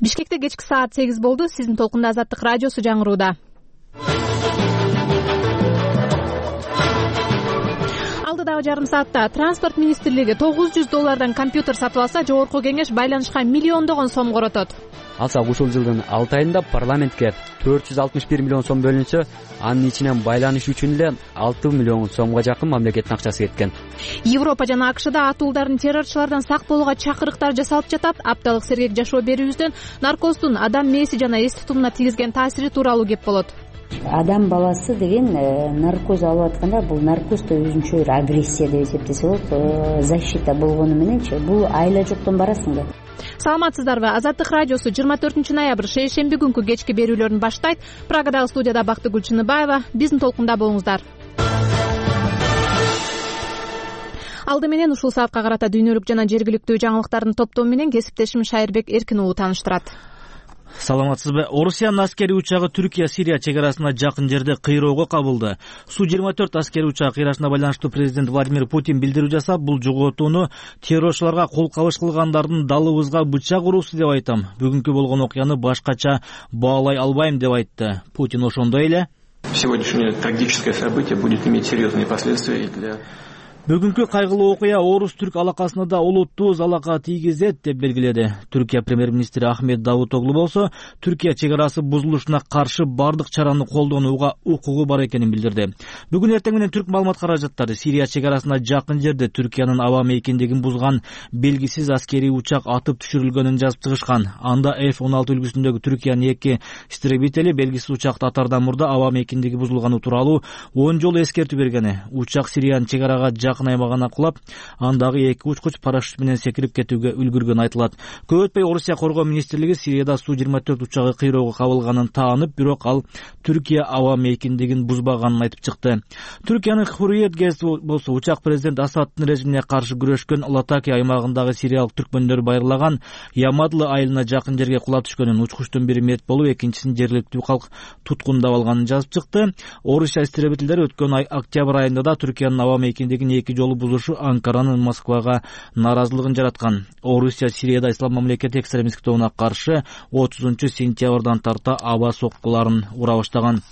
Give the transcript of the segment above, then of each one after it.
Бишкекте кечки саат 8 болду. Сиздин толкунда Азаттык радиосу жаңырууда. Алдыдагы жарым саатта Транспорт министрлиги $900 компьютер сатып алса, жогорку кеңеш байланышка миллиондогон сом коротот. Алсак ушул жылдын 6 айында парламентке 461 миллион сом бөлүнсө, анын ичинен байланыш үчүн эле 6 миллион сомго жакын мамлекеттин акчасы кеткен. Европа жана АКШда атуулдардын террорчулардан сак болууга чакырыктар жасалып жатат. Апталык сергек жашоо берүүбүздөн наркоздун адам мээси жана эс тутумуна тийгизген таасири тууралуу кеп болот. Адам баласы деген наркоз алып атканда, бул наркоз да өзүнчө бир агрессия деп эсептесе болот. Защита болгону мененчи бул айла жоктон барасың да. Саламатсыздарбы? Азаттык радиосу 24 ноябрь шейшемби күнкү кечки берүүлөрүн баштайт. Прагадагы студияда Бактыгүл Чыныбаева. Биздин толкунда болуңуздар. Алды менен ушул саатка карата дүйнөлүк жана жергиликтүү жаңылыктардын топтому менен кесиптешим Шайырбек Эркин уулу тааныштырат. Саламатсызбы? Орусиянын аскери учагы Түркия-Сирия чек арасына жакын жерде кыйроого кабылды. Су-24 аскери учагы кыйрашына байланыштуу президент Владимир Путин билдирүү жасап, бул жоготууну террорчуларга кол кабыш кылгандардын далыбызга бычак уруусу деп айтам. Бүгүнкү болгон окуяны башкача баалай албайм деп айтты. Путин ошондой эле сегодняшнее трагическое событие будет иметь серьезные последствия для Бүгүнкү кайгылуу окуя орус-түрк алакасына да олуттуу залака тийгизет деп белгиледи. Түркия премьер-министри Ахмет Давутоглу болсо, Түркия чек арасы бузулушуна каршы бардык чараны колдонууга укугу бар экенин билдирди. Бүгүн эртең менен түрк маалымат каражаттары Сирия чек арасына жакын жерде Түркиянын аба мейкиндигин бузган белгисиз аскерий учак атып түшүрүлгөнүн жазып чыгышкан. Анда F-16 үлгүсүндөгү Түркиянын 2 истребители белгисиз учакты атаардан мурда аба мейкиндиги бузулганы тууралуу 10 жолу эскертүү бергени. Учак Сириянын чек арага жакын аймагына кулап, андагы 2 учкуч парашют менен секирип кетүүгө үлгүргөн айтылат. Көп өтпөй Орусия коргоо министрлиги Сирияда Су-24 учагы кыйроого кабылганын таанып, бирок ал Түркия аба мейкиндигин бузбаганын айтып чыкты. Түркиянын Hurriyet газети болсо, учак президент Асаддын режимине каршы күрөшкөн Латаки аймагындагы сириялык түркмөндөр байырлаган Ямадлы айылына жакын жерге кулап түшкөнүн, учкучтун бири мерт болуп, экинчисин жергиликтүү калк туткундап алганын жазып чыкты. Орусия истребительдери өткөн октябрь айында да Түркиянын аба мейкиндигин 2 жолу бузушу Анкаранын Москвага нааразылыгын жараткан. Орусия Сирияда ислам мамлекети экстремисттик тобуна каршы 30-сентябрдан тарта аба соккуларын ура баштаган.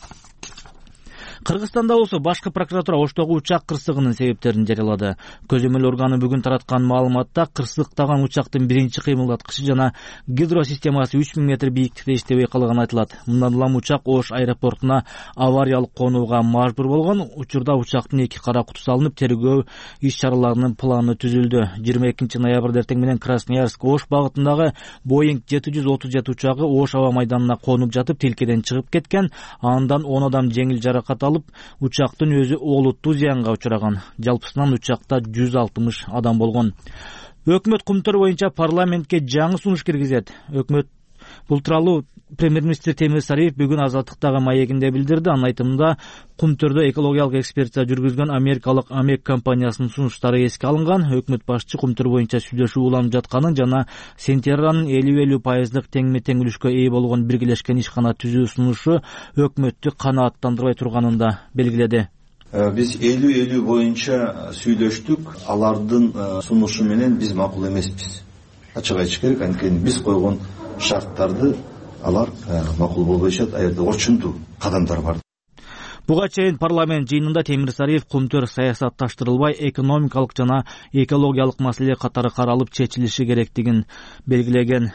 Кыргызстанда болсо башкы прокуратура Оштогу учак кырсыгынын себептерин жарыялады. Көзөмөл органы бүгүн тараткан маалыматта кырсыктаган учактын биринчи кыймылдаткычы жана гидросистемасы 3000 метр бийиктикте иштебей калганы айтылат. Мындан улам учак Ош аэропортуна авариялык конууга мажбур болгон. Учурда учактын 2 кара кутусу алынып, тергөө иш-чараларынын планы түзүлдү. 22 ноябрда эртең менен Красноярск Ош багытындагы Boeing 737 учагы Ош аба майданына конуп жатып, тилкеден чыгып кеткен. Андан 10 адам жеңил жаракат алып, учактын өзү олуттуу зыянга учураган. Жалпысынан учакта 160 адам болгон. Өкмөт кумтөр боюнча парламентке жаңы сунуш киргизет. Өкмөт бул тууралуу премьер-министр Темир Сариев бүгүн Азаттыктагы маегинде билдирди. Анын айтымында, кумтөрдө экологиялык экспертиза жүргүзгөн америкалык Амек компаниясынын сунуштары эске алынган. Өкмөт башчы кумтөр боюнча сүйлөшүү уланып жатканын жана сентябрнын 50-50% теңме-тең үлүшкө ээ болгон биргелешкен ишкана түзүү сунушу өкмөттү канааттандырбай турганын да белгиледи. Биз 50-50 боюнча сүйлөштүк. Алардын сунушу менен биз макул эмеспиз. Ачык айтыш керек, анткени биз койгон шарттарды алар макул болбойшат, аерде очунтуу кадамдар бар. Буга чейин парламент жыйынында Темир Сариев кумтөр саясатташтырылбай, экономикалык жана экологиялык маселе катары каралып чечилиши керектигин белгилеген.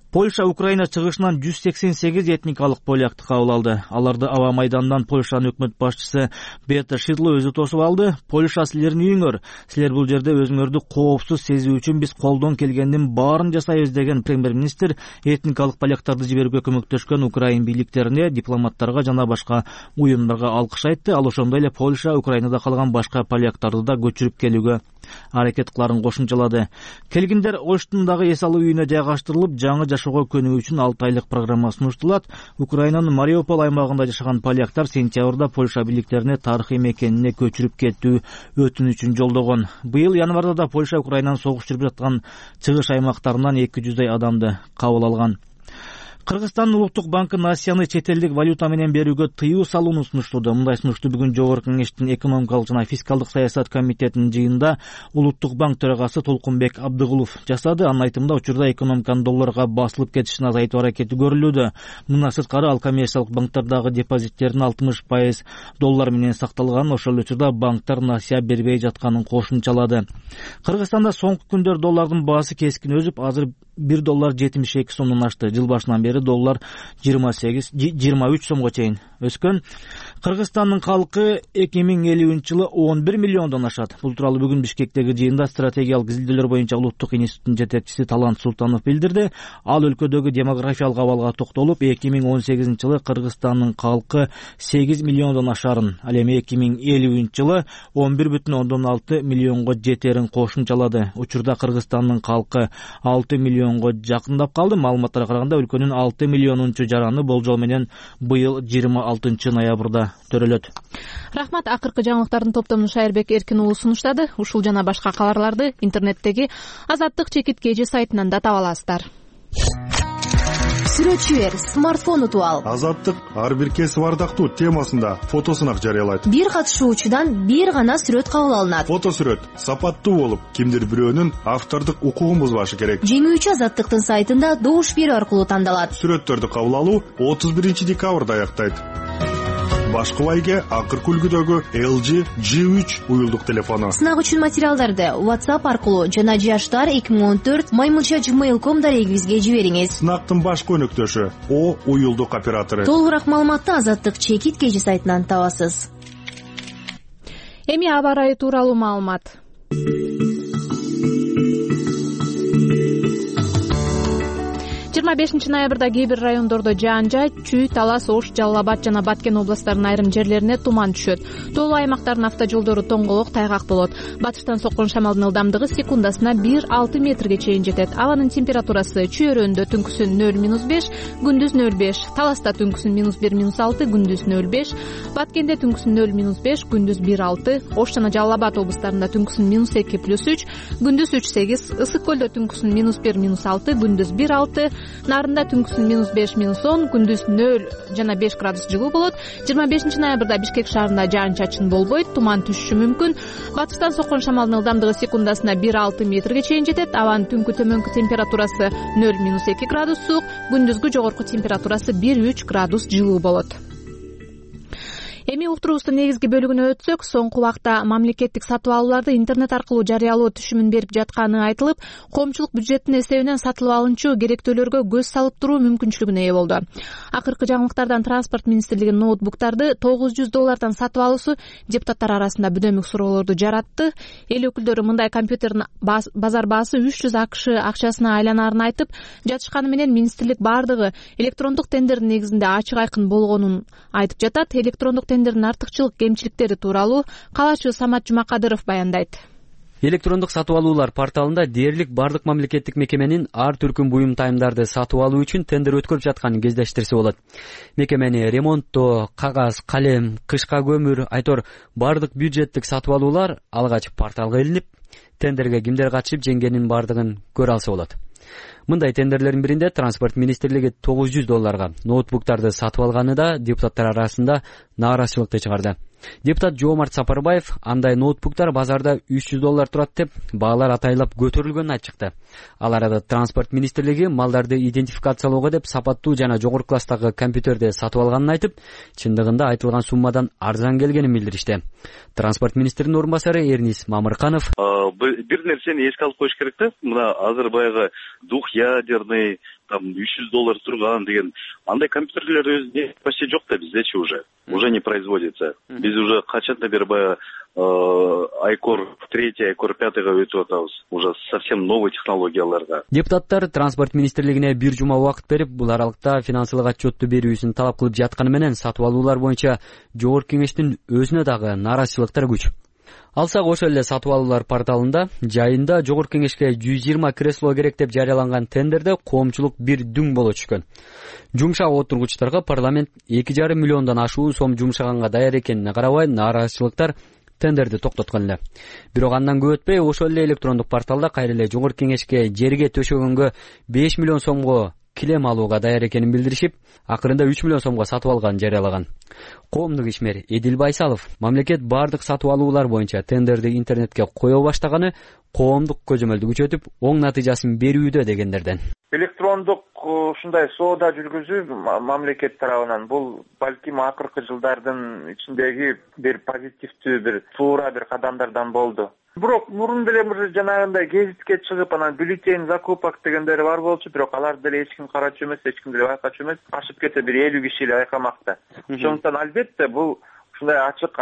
Польша Украина чыгышынан 188 этникалык полякты кабыл алды. Аларды аба майдандан Польшанын өкмөт башчысы Бета Шидло өзү тосуп алды. Польша силердин үйүңөр. Силер бул жерде өзүңөрдү коопсуз сезүү үчүн биз колдон келгендин баарын жасайбыз деген премьер-министр этникалык поляктарды жиберүүгө көмөктөшкөн Украин бийликтерине, дипломаттарга жана башка уюмдарга алкыш айтты. Ал ошондой эле Польша Украинада калган башка поляктарды да көчүрүп келүүгө аракет кыларын кошумчалады. Келгиндер Оштундагы эс алуу үйүнө жайгаштырылып, жаңы жашоого көнүү үчүн 6 айлык программа сунуштулат. Украинанын Мариуполь аймагында жашаган поляктар сентябрда Польша бийликтерине тарыхый мекенине көчүрүп кетүү өтүнүчүн жолдогон. Быйыл январда да Польша Украинанын согуш жүрүп жаткан чыгыш аймактарынан 200 адамды кабыл алган. Кыргызстандын улуттук банкы Насияны чет элдик валюта менен берүүгө тыюу салууну сунуштады. Мындай сунушту бүгүн Жогорку Кеңештин экономикалык жана фискалдык саясат комитетинин жыйынында улуттук банк төрагасы Толкунбек Абдыгулов жасады. Анын айтымында учурда экономиканын долларга басылып кетишин азайтуу аракети көрүлүүдө. Мындан сырткары ал коммерциялык банктардагы депозиттердин 60% доллар менен сакталганын, ошол эле учурда банктар насыя бербей жатканын кошумчалады. Кыргызстанда соңку күндөр доллардын баасы кескин өсүп, азыр $1.72 сомдон ашты. Жыл башынан бери доллар 23 сомго чейин өскөн. Кыргызстандын калкы 2050-жылы 11 миллиондон ашат. Бул тууралуу бүгүн Бишкектеги жыйында стратегиялык изилдөөлөр боюнча улуттук институттун жетекчиси Талант Султанов билдирди. Ал өлкөдөгү демографиялык абалга токтолуп, 2018-жылы Кыргызстандын калкы 8 миллиондон ашарын, ал эми 2050-жылы 11,6 миллионго жетерин кошумчалады. Учурда Кыргызстандын калкы 6 миллионго жакындап калды. Маалыматтарга караганда өлкөнүн 6 миллионунчу жараны болжол менен быйыл 26 ноябрда төрөлөт. Рахмат. Акыркы жаңылыктардын топтомун Шайырбек Эркин уулу сунуштады. Ушул жана башка кабарларды интернеттеги Азаттык чекит KG сайтынан да таба аласыздар. Сүрөтчү бер, смартфон утуп ал. Азаттык ар бир кесип ардактуу темасында фотосунак жарыялайт. Бир катышуучудан бир гана сүрөт кабыл алынат. Фотосүрөт сапаттуу болуп, кимдир бирөөнүн автордук укугун бузбашы керек. Жеңүүчү Азаттыктын сайтында добуш берүү аркылуу тандалат. Сүрөттөрдү кабыл алуу 31-декабрда аяктайт. Башкы байге акыркы үлгүдөгү LG G3 уюлдук телефону. Сынак үчүн материалдарды WhatsApp аркылуу жана jashtar2014@gmail.com дарегибизге жибериңиз. Сынактын башкы өнөктөшү О уюлдук оператору. Толугураак маалыматты Азаттык чекит KG сайтынан табасыз. Эми аба ырайы тууралуу маалымат. 25 ноябрда кээ бир райондордо жаан жаайт, Чүй, Талас, Ош, Жалал Абад жана Баткен областтарынын айрым жерлерине туман түшөт. Тоолуу аймактардын автожолдору тоңголок, тайгак болот. Батыштан соккон шамалдын ылдамдыгы секундасына 1-6 метрге чейин жетет. Абанын температурасы Чүй өрөөндө түнкүсүн 0-5, күндүз 0-5, Таласта түнкүсүн -1-6, күндүз 0-5, Баткенде түнкүсүн 0-5, күндүз 1-6, Ош жана Жалал Абад областарында түнкүсүн -2+3, күндүз 3-8, Ысык көлдө түнкүсүн -1-6, күндүз 1-6, Нарында түнкүсүн -5-10, күндүз 0 жана 5 градус жылуу болот. 25 ноябрда Бишкек шаарында жаан-чачын болбойт, туман түшүшү мүмкүн. Батыштан соккон шамалдын ылдамдыгы секундасына 1-6 метрге чейин жетет. Абанын түнкү төмөнкү температурасы 0-2 градус суук, күндүзгү жогорку температурасы 1-3 градус жылуу болот. Эми уктуруубуздун негизги бөлүгүнө өтсөк, соңку убакта мамлекеттик сатып алууларды интернет аркылуу жарыялоо түшүмүн берип жатканы айтылып, коомчулук бюджеттин эсебинен сатылып алынчу керектөөлөргө көз салып туруу мүмкүнчүлүгүнө ээ болду. Акыркы жаңылыктардан Транспорт министрлигинин ноутбуктарды $900 сатып алуусу депутаттар арасында бүдөмүк суроолорду жаратты. Эл өкүлдөрү мындай компьютердин базар баасы $300 акчасына айланарын айтып, жатышканы менен министрлик бардыгы электрондук тендердин негизинде ачык айкын болгонун айтып жатат. Электрондук тендердин артыкчылык кемчиликтери тууралуу калаачы Самат Жумакадыров баяндайт. Электрондук сатып алуулар порталында дээрлик бардык мамлекеттик мекеменин ар түркүн буюм тайымдарды сатып алуу үчүн тендер өткөрүп жатканын кездештирсе болот. Мекемени ремонттоо, кагаз, калем, кышка көмүр, айтор бардык бюджеттик сатып алуулар алгач порталга илинип, тендерге кимдер катышып жеңгенин бардыгын көрө алса болот. Мындай тендерлердин биринде Транспорт министрлиги $900 ноутбуктарды сатып алганы да депутаттар арасында нааразычылыкты чыгарды. Депутат Жоомарт Сапарбаев андай ноутбуктар базарда $300 турат деп баалар атайлап көтөрүлгөнүн айтып чыкты. Ал арада Транспорт министрлиги малдарды идентификациялоого деп сапаттуу жана жогорку класстагы компьютерди сатып алганын айтып, чындыгында айтылган суммадан арзан келгенин билдиришти. Транспорт министринин орун басары Эрнис Мамырканов бир нерсени эске алып коюш керек да. Мына азыр баягы двухъядерный $300 турган деген андай компьютерлер өзү почти жок да биздечи уже не производится. Биз уже качандан бери баягы iCore 3, iCore 5-га өтүп атабыз. Уже совсем новый технологияларга. Депутаттар Транспорт министрлигине бир жума убакыт берип, бул аралыкта финансылык отчетту берүүсүн талап кылып жатканы менен сатып алуулар боюнча Жогорку Кеңештин өзүнө дагы нааразычылыктар күч. Алсак ошол эле сатып алуулар порталында жайында Жогорку Кеңешке 120 кресло керек деп жарыяланган тендерде коомчулук бир дүң боло түшкөн. Жумшак отургучтарга парламент 2,5 миллиондон ашуун сом жумшаганга даяр экенине карабай, нааразычылыктар тендерди токтоткон эле. Бирок андан көп өтпөй ошол эле электрондук порталда кайра эле Жогорку Кеңешке жерге төшөгөнгө 5 миллион сомго килем алууга даяр экенин билдиришип, акырында 3 миллион сомго сатып алганын жарыялаган. Коомдук ишмер Эдил Байсалов мамлекет бардык сатып алуулар боюнча тендерди интернетке кое баштаганы коомдук көзөмөлдү күчөтүп, оң натыйжасын берүүдө дегендерден. Электрондук ушундай соода жүргүзүү мамлекет тарабынан бул балким акыркы жылдардын ичиндеги бир позитивдүү, бир туура бир кадамдардан болду. Бирок мурун деле жанагындай гезитке чыгып, анан бюллетень закупок дегендери бар болчу, бирок аларды деле эч ким карачу эмес, эч ким деле байкачу эмес. Ашып кете бир 50 киши эле байкамакта. Ошондуктан албетте бул ушундай ачык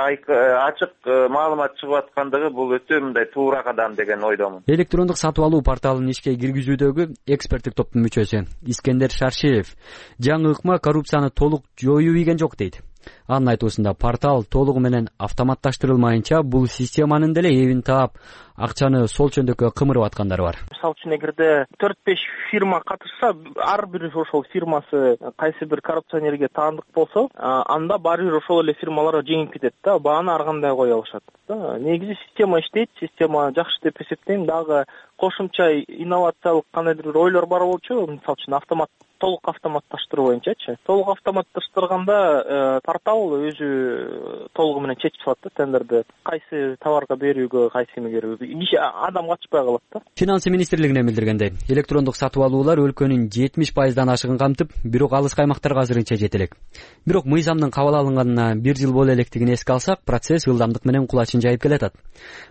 маалымат чыгып аткандыгы бул өтө мындай туура кадам деген ойдомун. Электрондук сатып алуу порталын ишке киргизүүдөгү эксперттик топтун мүчөсү Искендер Шаршеев жаңы ыкма коррупцияны толук жоюу ийген жок дейт. Анын айтуусунда портал толугу менен автоматташтырылмайынча бул системанын деле эбин таап, акчаны сол чөндөккө кымырып аткандары бар. Мисалы үчүн эгерде 4-5 фирма катышса, ар бир ошол фирмасы кайсы бир коррупционерге таандык болсо, анда баары бир ошол эле фирмалар жеңип кетет да, бааны ар кандай кое алышат да. Негизи система иштейт, система жакшы деп эсептейм. Дагы кошумча инновациялык кандайдыр бир ойлор бар болчу, мисалы үчүн толук автоматташтыруу боюнчачы. Толук автоматташтырганда портал өзү толугу менен чечип салат да тендерди, кайсы товарга берүүгө, кайсы эмегерүүгө. Киши адам катышпай калат да. Финансы министрлигинен билдиргендей, электрондук сатып алуулар өлкөнүн 70% ашыгын камтып, бирок алыс аймактарга азырынча жете элек. Бирок мыйзамдын кабыл алынганына 1 жыл боло электигин эске алсак, процесс ылдамдык менен кулачын жайып келатат.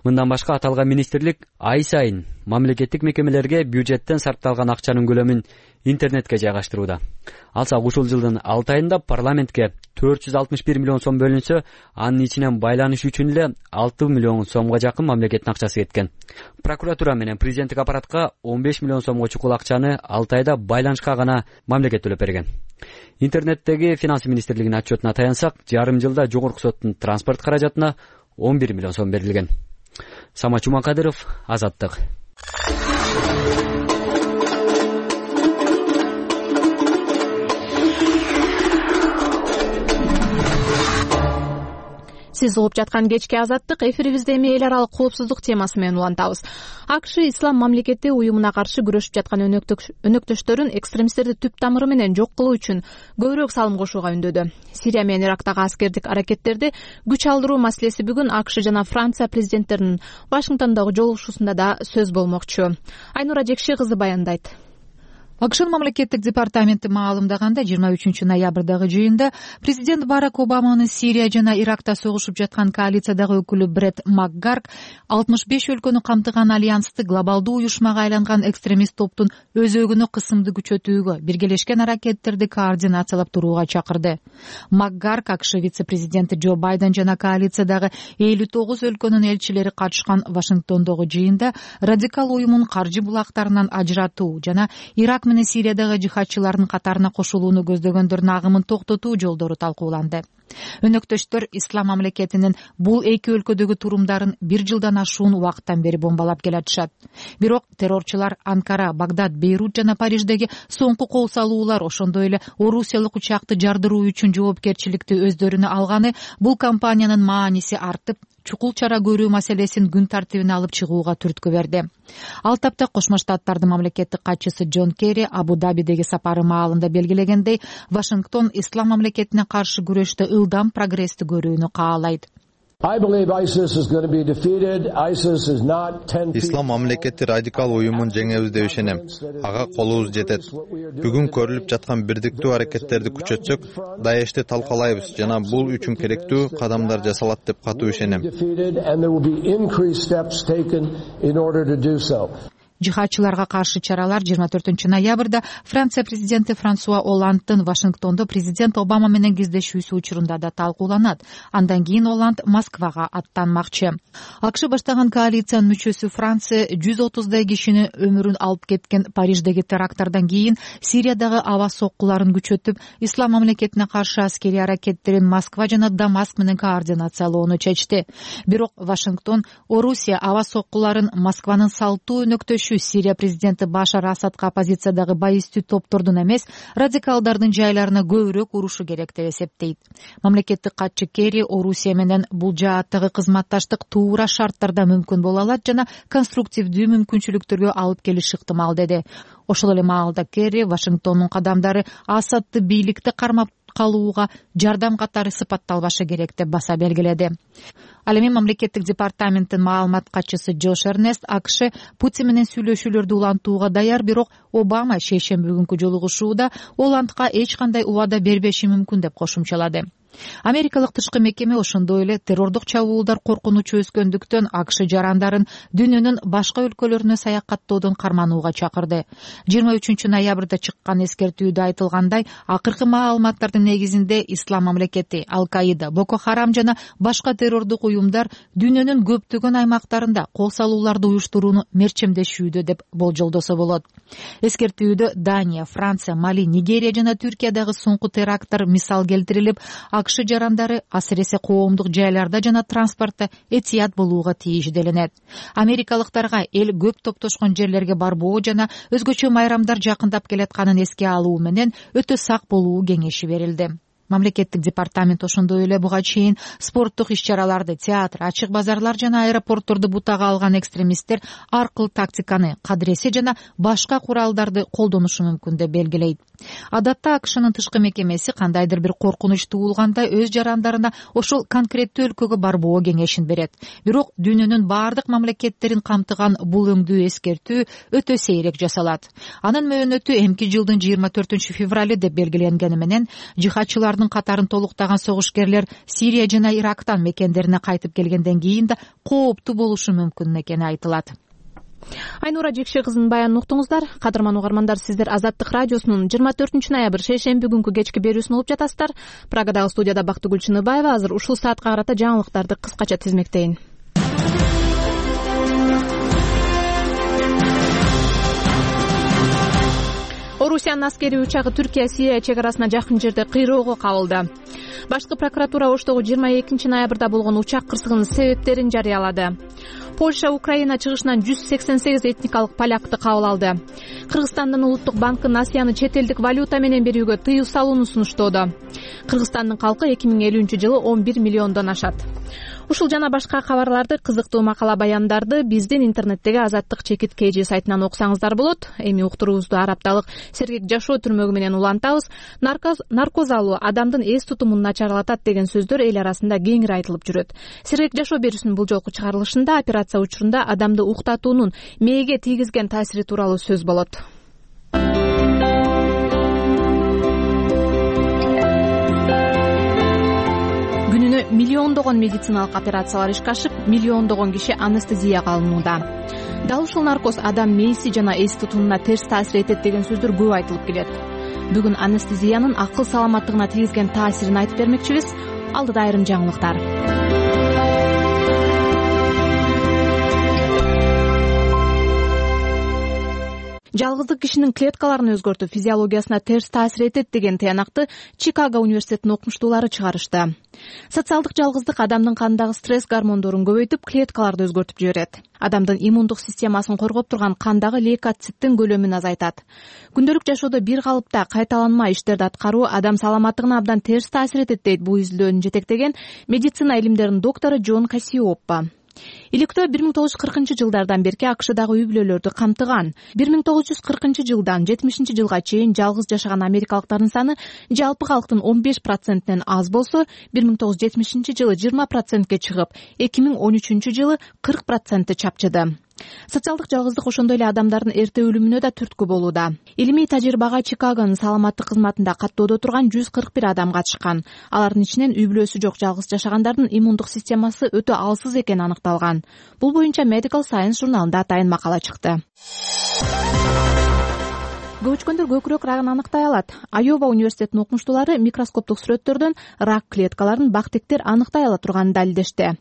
Мындан башка аталган министрлик ай сайын мамлекеттик мекемелерге бюджеттен сарпталган акчанын көлөмүн интернетке жайгаштырууда. Алсак ушул жылдын 6 айында парламентке 461 миллион сом бөлүнсө, анын ичинен байланыш үчүн эле 6 миллион сомго жакын мамлекеттин акчасы кеткен. Прокуратура менен президенттик аппаратка 15 миллион сомго чукул акчаны 6 айда байланышка гана мамлекет төлөп берген. Интернеттеги финансы министрлигинин отчетуна таянсак, жарым жылда жогорку соттун транспорт каражатына 11 миллион сом берилген. Самат Жумакадыров, Азаттык. Сиз угуп жаткан кечки Азаттык эфирибизде эми эл аралык коопсуздук темасы менен улантабыз. АКШ Ислам мамлекети уюмуна каршы күрөшүп жаткан өнөктөштөрүн экстремисттерди түп тамыры менен жок кылуу үчүн көбүрөөк салым кошууга үндөдү. Сирия менен Ирактагы аскердик аракеттерди күч алдыруу маселеси бүгүн АКШ жана Франция президенттеринин Вашингтондогу жолугушуусунда да сөз болмокчу. Айнура Жекши кызы баяндайт. АКШнын мамлекеттик департаменти маалымдаганда 23-ноябрдагы жыйында президент Барак Обаманын Сирия жана Иракта согушуп жаткан коалициядагы өкүлү Бред Макгарк 65 өлкөнү камтыган альянсты глобалдуу уюшмага айланган экстремист топтун өзөгүнө кысымды күчөтүүгө, биргелешкен аракеттерди координациялап турууга чакырды. Макгарк АКШ вице-президенти Джо Байден жана коалициядагы 59 өлкөнүн элчилери катышкан Вашингтондогу жыйында радикал уюмун каржы булактарынан ажыратуу жана Ирак менен Сириядагы жихадчылардын катарына кошулууну көздөгөндөрдүн агымын токтотуу жолдору талкууланды. Өнөктөштөр Ислам мамлекетинин бул эки өлкөдөгү турумдарын 1 жылдан ашуун убакыттан бери бомбалап келатышат. Бирок террорчулар Анкара, Багдад, Бейрут жана Париждеги соңку кол салуулар, ошондой эле орусиялык учакты жардыруу үчүн жоопкерчиликти өздөрүнө алганы бул компаниянын мааниси артып, чукул чара көрүү маселесин күн тартибине алып чыгууга түрткү берди. Ал тапта Кошмо Штаттардын мамлекеттик катчысы Джон Керри Абу-Дабидеги сапары маалында белгилегендей, Вашингтон Ислам мамлекетине каршы күрөштө ылдам прогрессти көрүүнү каалайт. Ислам мамлекети радикал уюмун жеңебиз деп ишенем. Ага колубуз жетет. Бүгүн көрүлүп жаткан бирдиктүү аракеттерди күчөтсөк, Даешти талкалайбыз жана бул үчүн керектүү кадамдар жасалат деп катуу ишенем. Жихадчыларга каршы чаралар 24-ноябрда Франция президенти Франсуа Олландтын Вашингтондо президент Обама менен кездешүүсү учурунда да талкууланат. Андан кийин Олланд Москвага аттанмакчы. АКШ баштаган коалициянын мүчөсү Франция 130дай кишини өмүрүн алып кеткен Париждеги теракттардан кийин Сириядагы аба соккуларын күчөтүп, Ислам мамлекетине каршы аскерий аракеттерин Москва жана Дамаск менен координациялоону чечти. Бирок Вашингтон Орусия аба соккуларын Москванын салттуу өнөктөшү Сирия президенти Башар Асадка оппозициядагы байыстүү топтордун эмес, радикалдардын жайларына көбүрөөк урушу керек деп эсептейт. Мамлекеттик катчы Керри Орусия менен бул жааттагы кызматташтык туура шарттарда мүмкүн боло алат жана конструктивдүү мүмкүнчүлүктөргө алып келиши ыктымал деди. ошол эле маалда Керри Вашингтондун кадамдары Асадды бийликти кармап калууга жардам катары сыпатталбашы керек деп баса белгиледи. Ал эми мамлекеттик департаменттин маалымат катчысы Джош Эрнест АКШ Путин менен сүйлөшүүлөрдү улантууга даяр, бирок Обама шейшемби күнкү жолугушууда ол антка эч кандай убада бербеши мүмкүн деп кошумчалады. Америкалык тышкы мекеме ошондой эле террордук чабуулдар коркунучу өскөндүктөн АКШ жарандарын дүйнөнүн башка өлкөлөрүнө саякаттоодон карманууга чакырды. 23 ноябрда чыккан эскертүүдө айтылгандай, акыркы маалыматтардын негизинде Ислам мамлекети, Ал-Каида, Боко Харам жана башка террордук уюмдар дүйнөнүн көптөгөн аймактарында кол салууларды уюштурууну мерчемдешүүдө деп болжолдосо болот. Эскертүүдө Дания, Франция, Мали, Нигерия жана Түркиядагы соңку теракттар мисал келтирилип, АКШ жарандары асыресе коомдук жайларда жана транспортто этият болууга тийиш делинет. Америкалыктарга эл көп топтошкон жерлерге барбоо жана өзгөчө майрамдар жакындап келатканын эске алуу менен өтө сак болуу кеңеши берилди. Мамлекеттик департамент ошондой эле буга чейин спорттук иш-чараларды, театр, ачык базарлар жана аэропортторду бутага алган экстремисттер аркыл тактиканы, кадыресе жана башка куралдарды колдонушу мүмкүн деп белгилейт. Адатта АКШнын тышкы мекемеси кандайдыр бир коркунуч туулганда өз жарандарына ошол конкреттүү өлкөгө барбоо кеңешин берет. Бирок дүйнөнүн бардык мамлекеттерин камтыган бул өңдүү эскертүү өтө сейрек жасалат. Анын мөөнөтү эмки жылдын 24 февралы деп белгиленгени менен жихадчылардын катарын толуктаган согушкерлер Сирия жана Ирактан мекендерине кайтып келгенден кийин да кооптуу болушу мүмкүн экени айтылат. Айнура Жекше кызынын баянын уктуңуздар. Кадырман угармандар, сиздер Азаттык радиосунун 24 ноябрь шейшемби күнкү кечки берүүсүн угуп жатасыздар. Прагадагы студияда Бактыгүл Чыныбаева. Азыр ушул саатка карата жаңылыктарды кыскача тизмектейин. Орусиянын аскерий учагы Түркия-Сирия чек арасына жакын жерде кыйроого кабылды. Башкы прокуратура Оштогу 22 ноябрда болгон учак кырсыгынын себептерин жарыялады. Польша Украина чыгышынан 188 этникалык полякты кабыл алды. Кыргызстандын улуттук банкы Насияны чет элдик валюта менен берүүгө тыюу салууну сунуштоодо. Кыргызстандын калкы 2050-жылы 11 миллиондон ашат. Ушул жана башка кабарларды, кызыктуу макала баяндарды биздин интернеттеги Азаттык _KG сайтынан окусаңыздар болот. Эми уктуруубузду арапталык сергек жашоо түрмөгү менен улантабыз. Наркоз алуу адамдын эс тутумун начарлатат деген сөздөр эл арасында кеңири айтылып жүрөт. Сергек жашоо берүүсүнүн бул жолку чыгарылышында операция учурунда адамды уктатуунун мээге тийгизген таасири тууралуу сөз болот. Күнүнө миллиондогон медициналык операциялар ишке ашып, миллиондогон киши анестезияга алынууда. Дал ушул наркоз адам мээси жана эс тутумуна терс таасир этет деген сөздөр көп айтылып келет. Бүгүн анестезиянын акыл саламаттыгына тийгизген таасирин айтып бермекчибиз. Алдыда айрым жаңылыктар. Жалгыздык кишинин клеткаларын өзгөртүп, физиологиясына терс таасир этет деген тыянакты Чикаго университетинин окумуштуулары чыгарышты. Социалдык жалгыздык адамдын кандагы стресс гормондорун көбөйтүп, клеткаларды өзгөртүп жиберет. Адамдын иммундук системасын коргоп турган кандагы лейкоциттин көлөмүн азайтат. Күндөлүк жашоодо бир калыпта кайталанма иштерди аткаруу адам саламаттыгына абдан терс таасир этет дейт бул изилдөөнү жетектеген медицина илимдеринин доктору Джон Кассиоппа. Иликтөө 1940-жылдардан берки АКШдагы үй бүлөлөрдү камтыган. 1940 жылдан 70 жылга чейин жалгыз жашаган америкалыктардын саны жалпы калктын 15%нен аз болсо, 1970 жылы 20%ке чыгып, 2013 жылы 40% чапчыды. Социалдык жалгыздык ошондой эле адамдардын эрте өлүмүнө да түрткү болууда. Илимий тажрыйбага Чикагонун саламаттык кызматында каттоодо турган 141 адам катышкан. Алардын ичинен үй бүлөсү жок жалгыз жашагандардын иммундук системасы өтө алсыз экени аныкталган. Бул боюнча Medical Science журналында атайын макала чыкты. Көчкөндөр көкүрөк рагын аныктай алат. Айова университетинин окумуштуулары микроскоптук сүрөттөрдөн рак клеткаларын бактектер аныктай ала турганын далилдешти.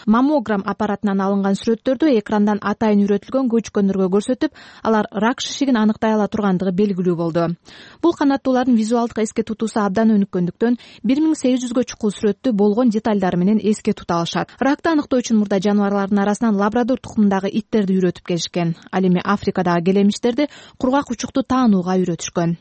Маммограмм аппаратынан алынган сүрөттөрдү экрандан атайын үйрөтүлгөн көчкөндөргө көрсөтүп, алар рак шишигин аныктай ала тургандыгы белгилүү болду. Бул канаттуулардын визуалдык эске тутуусу абдан өнүккөндүктөн 1800гө чукул сүрөттү болгон деталдары менен эске тута алышат. Ракты аныктоо үчүн мурда жаныбарлардын арасынан лабрадор тукумундагы иттерди үйрөтүп келишкен. Ал эми Африкадагы келемиштерди кургак учукту таанууга үйрөтүшкөн.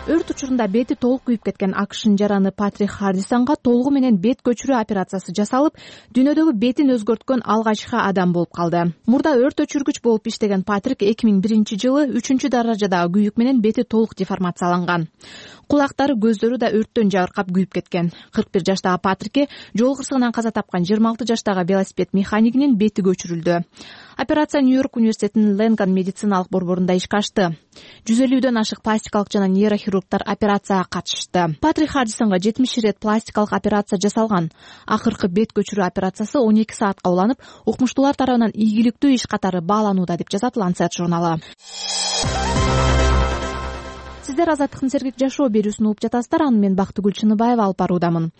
Өрт учурунда бети толук күйүп кеткен АКШнын жараны Патрик Хардисонго толугу менен бет көчүрүү операциясы жасалып, дүйнөдөгү бетин өзгөрткөн алгачкы адам болуп калды. Мурда өрт өчүргүч болуп иштеген Патрик 2001-жылы 3-даражадагы күйүк менен бети толук деформацияланган. Кулактары, көздөрү да өрттөн жабыркап күйүп кеткен. 41 жаштагы Патрикке жол кырсыгынан каза тапкан 26 жаштагы велосипед механикинин бети көчүрүлдү. Операция Нью-Йорк университетинин Лэнган медициналык борборунда ишке ашты. 150дөн ашык пластикалык жана нейрохирургдар операцияга катышты. Патрик Хардисонго 70 ирет пластикалык операция жасалган. Акыркы бет көчүрүү операциясы 12 саатка уланып, укмуштуулар тарабынан ийгиликтүү иш катары бааланууда деп жазат Lancet журналы. Сиздер Азаттыктын сергек жашоо берүүсүн угуп жатасыздар. Аны мен Бактыгүл Чыныбаева алып баруудамын.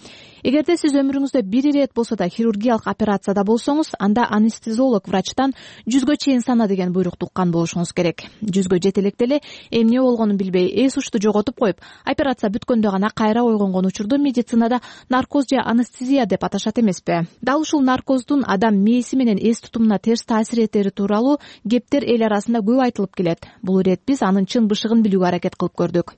Эгерде сиз өмүрүңүздө бир ирет болсо да хирургиялык операцияда болсоңуз, анда анестезиолог врачтан 100гө чейин сана деген буйрукту уккан болушуңуз керек. 100гө жете электе эле эмне болгонун билбей, эс ушты жоготуп коюп, операция бүткөндө гана кайра ойгонгон учурду медицинада наркоз же анестезия деп аташат эмеспи? Дал ушул наркоздун адам мээси менен эс тутумуна терс таасир этери тууралуу кептер эл арасында көп айтылып келет. Бул ирет биз анын чын бышыгын билүүгө аракет кылып көрдүк.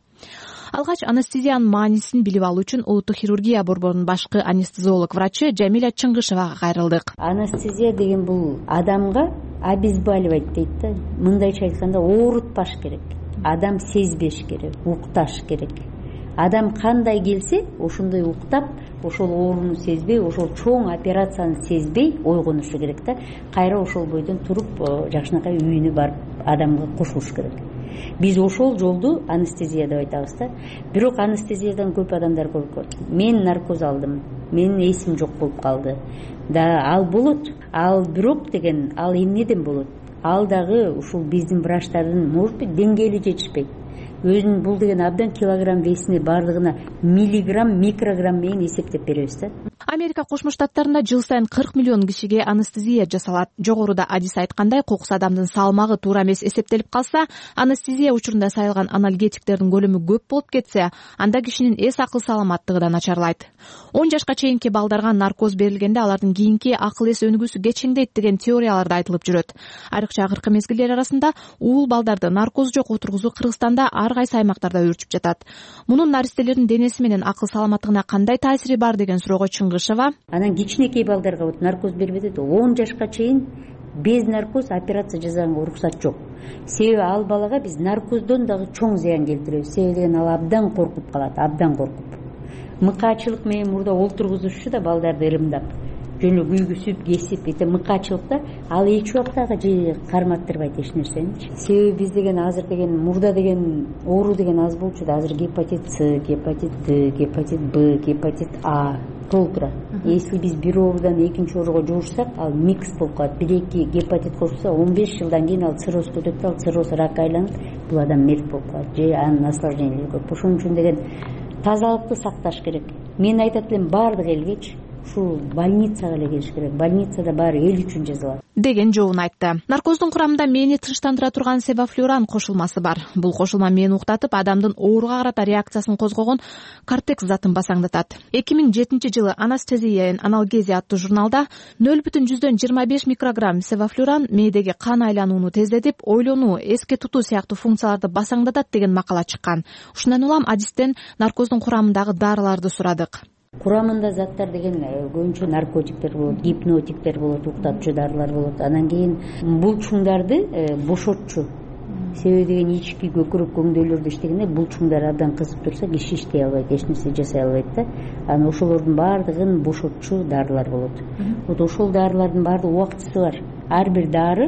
Алгач анестезиянын маанисин билип алуу үчүн улуттук хирургия борборунун башкы анестезиолог врачы Жамиля Чыңгышевага кайрылдык. Анестезия деген бул адамга обезболивать дейт да. Мындайча айтканда оорутпаш керек. Адам сезбеш керек, укташ керек. Адам кандай келсе, ошондой уктап, ошол ооруну сезбей, ошол чоң операцияны сезбей ойгонушу керек да. Кайра ошол бойдон туруп, жакшынакай үйүнө барып адамга кошулуш керек. Биз ошол жолду анестезия деп айтабыз да. Бирок анестезиядан көп адамдар коркот. Мен наркоз алдым, менин эсим жок болуп калды. Да ал болот. Ал бирок деген ал эмнеден болот? Ал дагы ушул биздин врачтардын может быть деңгээли жетишпейт. Өзүнүн бул деген абдан килограмм весине бардыгына миллиграмм, микрограмм менен эсептеп беребиз да. Америка Кошмо Штаттарында жыл сайын 40 миллион кишиге анестезия жасалат. Жогоруда адис айткандай, кокус адамдын салмагы туура эмес эсептелип калса, анестезия учурунда сайылган аналгетиктердин көлөмү көп болуп кетсе, анда кишинин эс акыл саламаттыгы да начарлайт. 10 жашка чейинки балдарга наркоз берилгенде алардын кийинки акыл эс өнүгүүсү кечиңдейт деген теориялар да айтылып жүрөт. Айрыкча акыркы мезгилдер арасында уул балдарды наркоз жок отургузуу Кыргызстанда ар кайсы аймактарда өөрчүп жатат. Мунун наристелердин денеси менен акыл саламаттыгына кандай таасири бар деген суроого Чыңгышева: анан кичинекей балдарга вот наркоз бербедет, 10 жашка чейин без наркоз операция жасаганга уруксат жок. Себеби ал балага биз наркоздон дагы чоң зыян келтиребиз. Себеби деген ал абдан коркуп калат, абдан коркуп. Мыкаачылык менен мурда олтургузушчу да балдарды ырымдап, жөн эле күйгүзүп, кесип, эте мыкаачылыкта ал эч убактагы же карматтырбайт эч нерсени. Себеби биз деген азыр деген мурда деген оору деген аз болчу да, азыр гепатит С, гепатит Д, гепатит Б, гепатит А толтура. Если биз бир оорудан экинчи ооруга жуурсак, ал микс болуп калат. 1-2 гепатит кошсо 15 жылдан кийин ал цирроз көтөп, ал цирроз ракка айланып, бул адам мерт болуп калат. Же анын осложнениялары көп. Ошон үчүн деген тазалыкты сакташ керек. Мен айтат элем, баардык элгечи ушул больницага эле келиш керек. Больницада баары эл үчүн жасалат деген жообун айтты. Наркоздун курамында мээни тынчтандыра турган севафлюран кошулмасы бар. Бул кошулма мээнни уктатып, адамдын ооруга карата реакциясын козгогон кортекс затын басаңдатат. 2007-жылы Anesthesia and Analgesia аттуу журналда 0,25 микрограмм севафлюран мээдеги кан айланууну тездетип, ойлонуу, эске тутуу сыяктуу функцияларды басаңдатат деген макала чыккан. Ушундан улам адистен наркоздун курамындагы дарыларды сурадык. Курамында заттар деген көбүнчө наркотиктер болот, гипнотиктер болот, уктатчу дарылар болот. Анан кийин булчуңдарды бошотчу. Себеби деген ички көкүрөк көңдөйлөрдө иштегенде булчуңдар абдан кызып турса, киши иштей албайт, эч нерсе жасай албайт да. Анан ошолордун баардыгын бошотчу дарылар болот. Вот ошол дарылардын баардык убактысы бар. Ар бир дары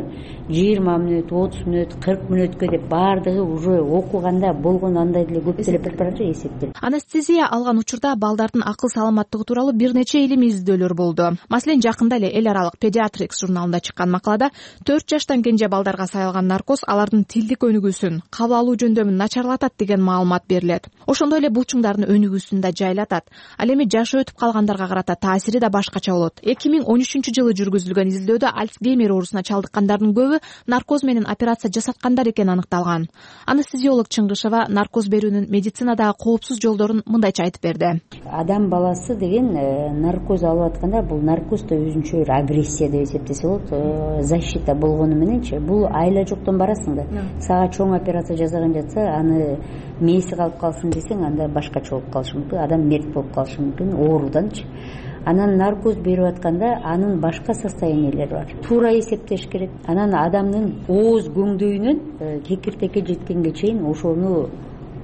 20 мүнөт, 30 мүнөт, 40 мүнөткө деп баардыгы уже окуганда болгон андай деле көп деле препарат эсептелет. Анестезия алган учурда балдардын акыл саламаттыгы тууралуу бир нече илимий изилдөөлөр болду. Маселен, жакында эле эл аралык Pediatrics журналында чыккан макалада 4 жаштан кенже балдарга сайылган наркоз алардын тилдик өнүгүүсүн, кабыл алуу жөндөмүн начарлатат деген маалымат берилет. Ошондой эле булчуңдардын өнүгүүсүн да жайлатат. Ал эми жашы өтүп калгандарга карата таасири да башкача болот. 2013-жылы жүргүзүлгөн изилдөөдө Альцгеймер жер оорусуна чалдыккандардын көбү наркоз менен операция жасаткандар экени аныкталган. Анестезиолог Чыңгышева наркоз берүүнүн медицинадагы коопсуз жолдорун мындайча айтып берди. Адам баласы деген наркоз алып атканда бул наркоз да өзүнчө бир агрессия деп эсептесе болот. Защита болгону мененчи бул айла жоктон барасың да. Сага чоң операция жасаган жатса, аны мээси калып калсын десең, анда башкача болуп калышы мүмкүн, адам мерт болуп калышы мүмкүн ооруданчы. Анан наркоз берип атканда анын башка состояниелери бар. Туура эсептеш керек. Анан адамдын ооз көңдөйүнөн кекиртекке жеткенге чейин ошону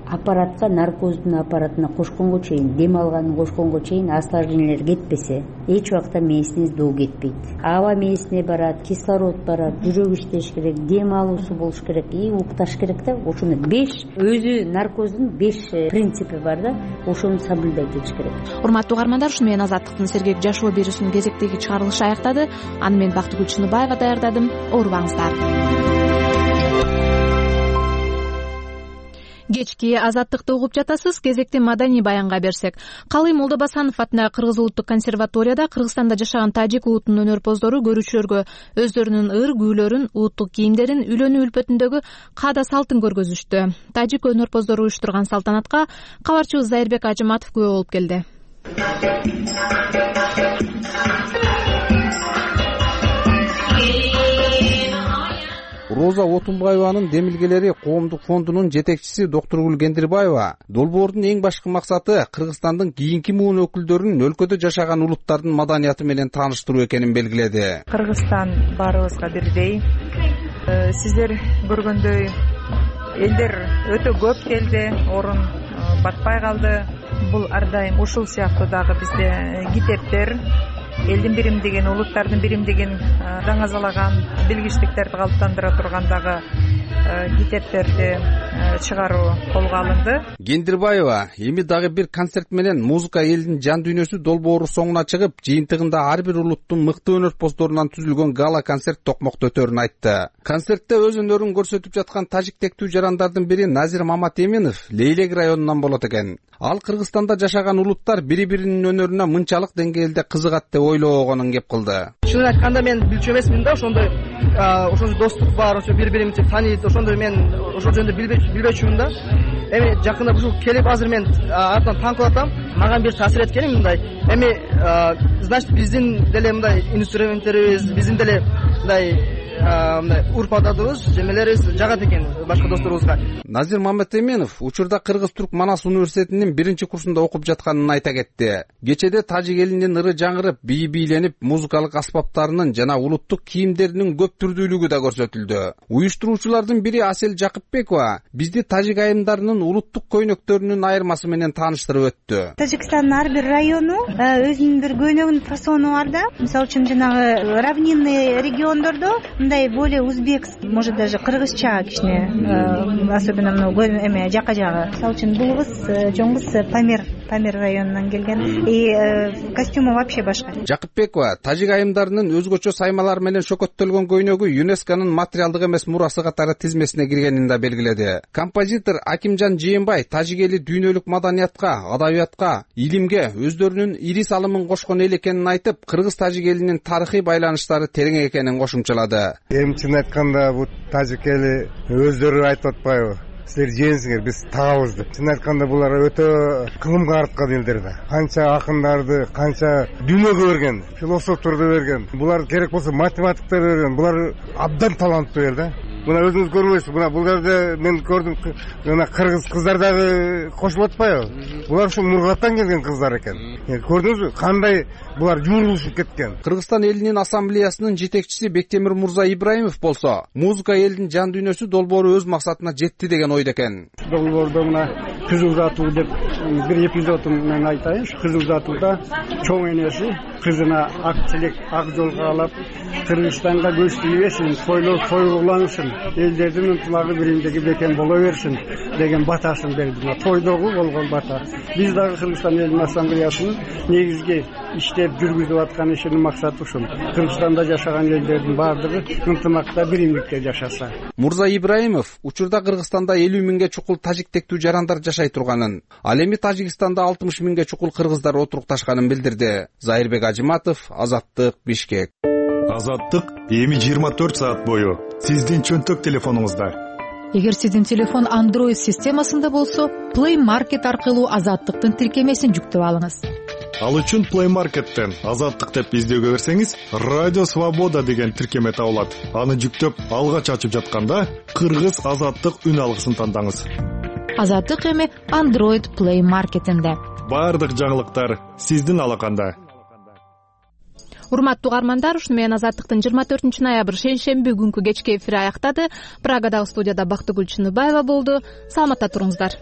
аппаратка, наркоздун аппаратына кошконго чейин, дем алганын кошконго чейин осложнениялер кетпесе, эч убакта мээсине доо кетпейт. Аба мээсине барат, кислород барат, жүрөк иштеш керек, дем алуусу болуш керек, укташ керек да. Ошону 5 өзү наркоздун 5 принципи бар да, ошону соблюдать этиш керек. Урматтуу угармандар, ушу менен Азаттыктын Сергек жашоо берүүсүнүн кезектеги чыгарылышы аяктады. Аны мен Бактыгүл Чыныбаева даярдадым. Оорубаңыздар. Кечки Азаттыкты угуп жатасыз. Кезекти маданий баянга берсек. Калый Молдобасанов атындагы Кыргыз улуттук консерваторияда Кыргызстанда жашаган тажик улутунун өнөрпоздору көрүүчүлөргө өздөрүнүн ыр күүлөрүн, улуттук кийимдерин, үйлөнүү үлпөтүндөгү каада салтын көргөзүштү. Тажик өнөрпоздору уюштурган салтанатка кабарчыбыз Зайырбек Ажыматов күбө болуп келди. Роза Отунбаеванын демилгелери коомдук фондунун жетекчиси доктор Кендирбаева долбоордун эң башкы максаты Кыргызстандын кийинки муун өкүлдөрүн өлкөдө жашаган улуттардын маданияты менен тааныштыруу экенин белгиледи. Кыргызстан баарыбызга бирдей. Сиздер көргөндөй элдер өтө көп келди, орун батпай калды. Бул ар дайым ушул сыяктуу дагы бизде китептер, элдин биримдигин, улуттардын биримдигин даңазалаган билгичтиктерди калыптандыра турган дагы китептерди чыгаруу колго алынды. Кендирбаева эми дагы бир концерт менен музыка элдин жан дүйнөсү долбоору соңуна чыгып, жыйынтыгында ар бир улуттун мыкты өнөрпоздорунан түзүлгөн гала концерт токмокто өтөрүн айтты. Концертте өз өнөрүн көрсөтүп жаткан тажиктектүү жарандардын бири Назир Маматеминов Лейлек районунан болот экен. Ал Кыргызстанда жашаган улуттар бири-биринин өнөрүнө мынчалык деңгээлде кызыгат деп ойлобогонун кеп кылды. Чынын айтканда мен билчү эмесмин да, ошондой достук бар, ошо бири-биримизди тааныйт, ошондой мен ошол жөнүндө билбечүмүн да. Эми жакында ушул келип азыр мен артынан таң кылып атам, мага бир таасир эткени мындай. Эми значит биздин деле мындай инструменттерибиз, биздин деле мындай урп адатыбыз, жемелерибиз жагат экен башка досторубузга. Назир Маматеменов учурда Кыргыз-Түрк Манас университетинин 1-курсунда окуп жатканын айта кетти. Кечеде тажик элинин ыры жаңырып, бийи бийленип, музыкалык аспаптарынын жана улуттук кийимдеринин көп түрдүүлүгү да көрсөтүлдү. Уюштуруучулардын бири Асел Жакыпбекова бизди тажик айымдарынын улуттук көйнөктөрүнүн айырмасы менен тааныштырып өттү. Тажикстандын ар бир району өзүнүн бир көйнөгүнүн фасону бар да. Мисалы үчүн жанагы равнинный региондордо мындай более узбекский, может даже кыргызча кичине, особенно эме жака жагы. Мисалы үчүн бул кыз чоң кыз Памир районунан келген. И костюму вообще башка. Жакыпбекова тажик айымдарынын өзгөчө саймалар менен шөкөттөлгөн көйнөгү ЮНЕСКОнун материалдык эмес мурасы катары тизмесине киргенин да белгиледи. Композитор Акимжан Жээнбай тажик эли дүйнөлүк маданиятка, адабиятка, илимге өздөрүнүн ири салымын кошкон эл экенин айтып, кыргыз-тажик элинин тарыхый байланыштары терең экенин кошумчалады. Эми чын айтканда бул тажик эли өздөрү айтып атпайбы? Силер жеңсиңер, биз тагабыз деп. Чын айтканда булар өтө кылымга арткан элдер да. Канча акындарды, канча дүйнөгө берген, философторду берген. Булар керек болсо математиктерди берген. Булар абдан таланттуу эл да. Мына өзүңүз көрбөйсүз, мына бул жерде мен көрдүм, мына кыргыз кыздар дагы кошулуп атпайбы? Булар ушу Мургаттан келген кыздар экен. Көрдүңүзбү, кандай булар жуурулушуп кеткен. Кыргызстан элинин ассамблеясынын жетекчиси Бектемир Мурза Ибраимов болсо, музыка элдин жан дүйнөсү долбоору өз максатына жетти деген ойдо экен. Долбоордо мына кызыл затуу деп бир эпизодун мен айтайын. Кызыл затууда чоң энеси кызына ак тилек, ак жол каалап, Кыргызстанга көз тийбесин, тойлуулансын, элдердин ынтымагы биримдиги бекем боло берсин деген батасын берди. Тойдогу болгон бата. Биз дагы Кыргызстан элинин ассамблеясынын негизги иштеп жүргүзүп аткан ишинин максаты ушул. Кыргызстанда жашаган элдердин баардыгы ынтымакта, биримдикте жашаса. Мурза Ибраимов учурда Кыргызстанда 50 миңге чукул тажиктектүү жарандар жашай турганын, ал эми Тажикстанда 60 миңге чукул кыргыздар отурукташканын билдирди. Зайырбек Ажыматов, Азаттык, Бишкек. Азаттык эми 24 саат бою сиздин чөнтөк телефонуңузда. Эгер сиздин телефон Android системасында болсо, Play Market аркылуу Азаттыктын тиркемесин жүктөп алыңыз. Ал үчүн Play Market'тен Азаттык деп издөөгө берсеңиз, Радио Свобода деген тиркеме табылат. Аны жүктөп, алгач ачып жатканда Кыргыз Азаттык үн алгысын тандаңыз. Азаттык эми Android Play Market'инде. Бардык жаңылыктар сиздин алаканда. Урматтуу угармандар, ушуну менен Азаттыктын 24 ноябрь шейшемби күнкү кечки эфири аяктады. Прагадагы студияда Бактыгүл Чыныбаева болду. Саламатта туруңуздар.